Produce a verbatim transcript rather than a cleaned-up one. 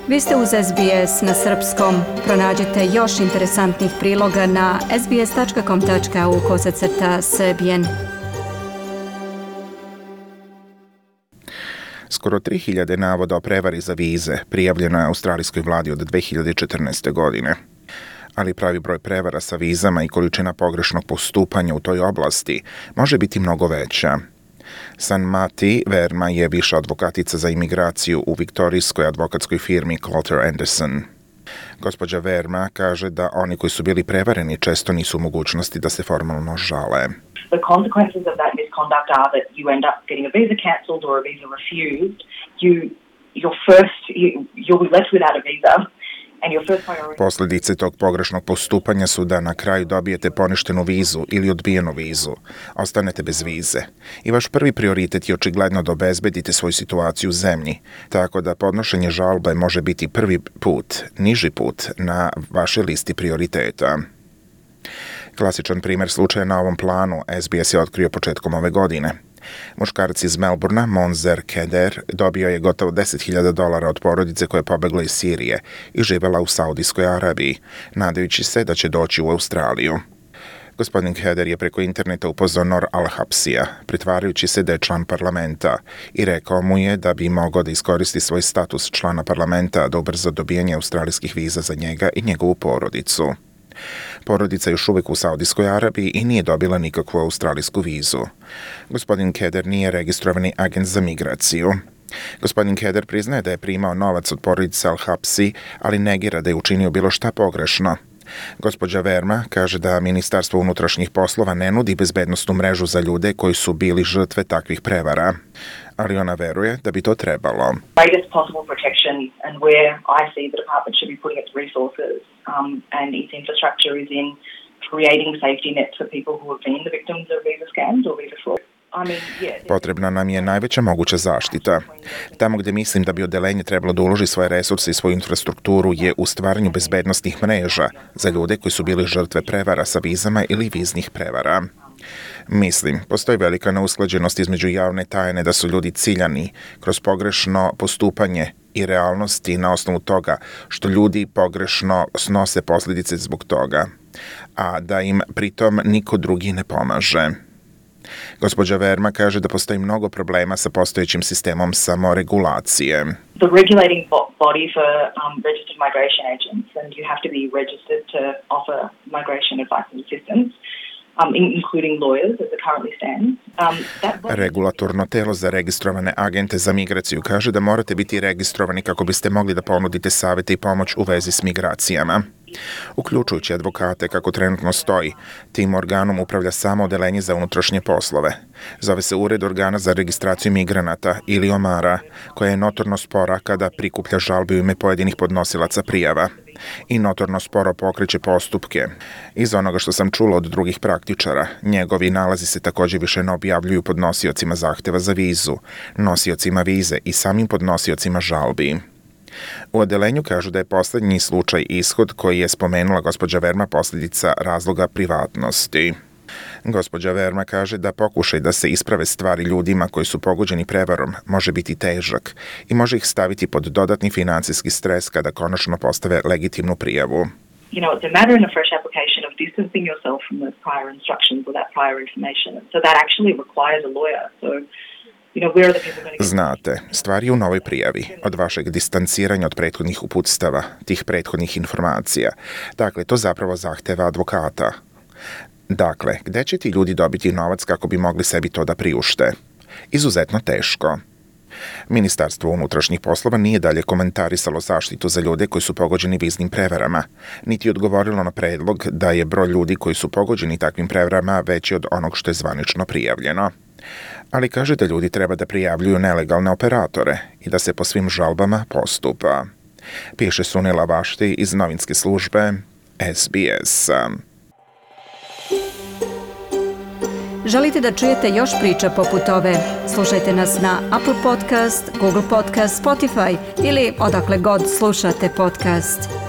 Vi ste uz S B S na srpskom. Pronađite još interesantnih priloga na sbs.com.au kosacrta srbijen. Skoro tri hiljade navoda o prevari za vize prijavljeno je australijskoj vladi od dve hiljade četrnaeste. godine. Ali pravi broj prevara sa vizama i količina pogrešnog postupanja u toj oblasti može biti mnogo veća. Sanmati Verma je viša advokatica za imigraciju u viktorijskoj advokatskoj firmi Coulter Anderson. Gospođa Verma kaže da oni koji su bili prevareni često nisu u mogućnosti da se formalno žale. The consequences of that misconduct are that you end up getting a visa cancelled or a visa refused. You, your first, you, you'll be left without a visa. Posljedice tog pogrešnog postupanja su da na kraju dobijete poništenu vizu ili odbijenu vizu. Ostanete bez vize. I vaš prvi prioritet je očigledno da obezbedite svoju situaciju u zemlji, tako da podnošenje žalbe može biti prvi put, niži put na vašoj listi prioriteta. Klasičan primjer slučaja na ovom planu S B S je otkrio početkom ove godine. Muškarac iz Melbourna, Monzer Keder, dobio je gotovo deset hiljada dolara od porodice koja je pobegla iz Sirije i živela u Saudijskoj Arabiji, nadajući se da će doći u Australiju. Gospodin Keder je preko interneta upoznao Nor Al-Hapsija, pretvarajući se da je član parlamenta, i rekao mu je da bi mogao da iskoristi svoj status člana parlamenta da ubrza dobijanje australijskih viza za njega i njegovu porodicu. Porodica je još uvijek u Saudijskoj Arabiji i nije dobila nikakvu australijsku vizu. Gospodin Keder nije registrovani agent za migraciju. Gospodin Keder priznaje da je primao novac od porodice Al-Hapsi, ali negira da je učinio bilo šta pogrešno. Gospođa Verma kaže da Ministarstvo unutrašnjih poslova ne nudi bezbednosnu mrežu za ljude koji su bili žrtve takvih prevara, ali ona veruje da bi to trebalo. Greatest possible protection and where I see the department should be putting its resources um, and its infrastructure is in creating safety nets for people who have been the victims of visa scams or visa fraud. Potrebna nam je najveća moguća zaštita. Tamo gdje mislim da bi odeljenje trebalo da uloži svoje resurse i svoju infrastrukturu je u stvaranju bezbednostnih mreža za ljude koji su bili žrtve prevara sa vizama ili viznih prevara. Mislim, postoji velika neusklađenost između javne tajne da su ljudi ciljani kroz pogrešno postupanje i realnosti na osnovu toga što ljudi pogrešno snose posljedice zbog toga, a da im pritom niko drugi ne pomaže. Gospođa Verma kaže da postoji mnogo problema sa postojećim sistemom samoregulacije. The regulating body for um, registered migration agents, and you have to be registered to offer migration advice and assistance. Um, including lawyers as it currently stands. Um, that body... Regulatorno telo za registrovane agente za migraciju kaže da morate biti registrovani kako biste mogli da ponudite savjete i pomoć u vezi s migracijama. Uključujući advokate, kako trenutno stoji, tim organom upravlja samo odeljenje za unutrašnje poslove. Zove se Ured organa za registraciju migranata ili OMARA, koja je notorno spora kada prikuplja žalbe u ime pojedinih podnosilaca prijava i notorno sporo pokreće postupke. Iz onoga što sam čula od drugih praktičara, njegovi nalazi se također više ne objavljuju podnosiocima zahteva za vizu, nosiocima vize i samim podnosiocima žalbi. U odelenju kažu da je posljednji slučaj ishod koji je spomenula gospođa Verma posljedica razloga privatnosti. Gospođa Verma kaže da pokušaj da se isprave stvari ljudima koji su pogođeni prevarom može biti težak i može ih staviti pod dodatni financijski stres kada konačno postave legitimnu prijavu. You know, it's a matter in a fresh application of distancing yourself from those prior instructions or that prior information. So that actually requires a lawyer. So Znate, stvar je u novoj prijavi, od vašeg distanciranja od prethodnih uputstava, tih prethodnih informacija. Dakle, to zapravo zahteva advokata. Dakle, gde će ti ljudi dobiti novac kako bi mogli sebi to da priušte? Izuzetno teško. Ministarstvo unutrašnjih poslova nije dalje komentarisalo zaštitu za ljude koji su pogođeni viznim prevarama, niti odgovorilo na predlog da je broj ljudi koji su pogođeni takvim prevarama veći od onog što je zvanično prijavljeno. Ali kaže da ljudi treba da prijavljuju nelegalne operatore i da se po svim žalbama postupa. Piše Sunila Vašti iz novinske službe S B S. Želite da čujete još priča poput ove? Slušajte nas na Apple Podcast, Google Podcast, Spotify ili odakle god slušate podcast.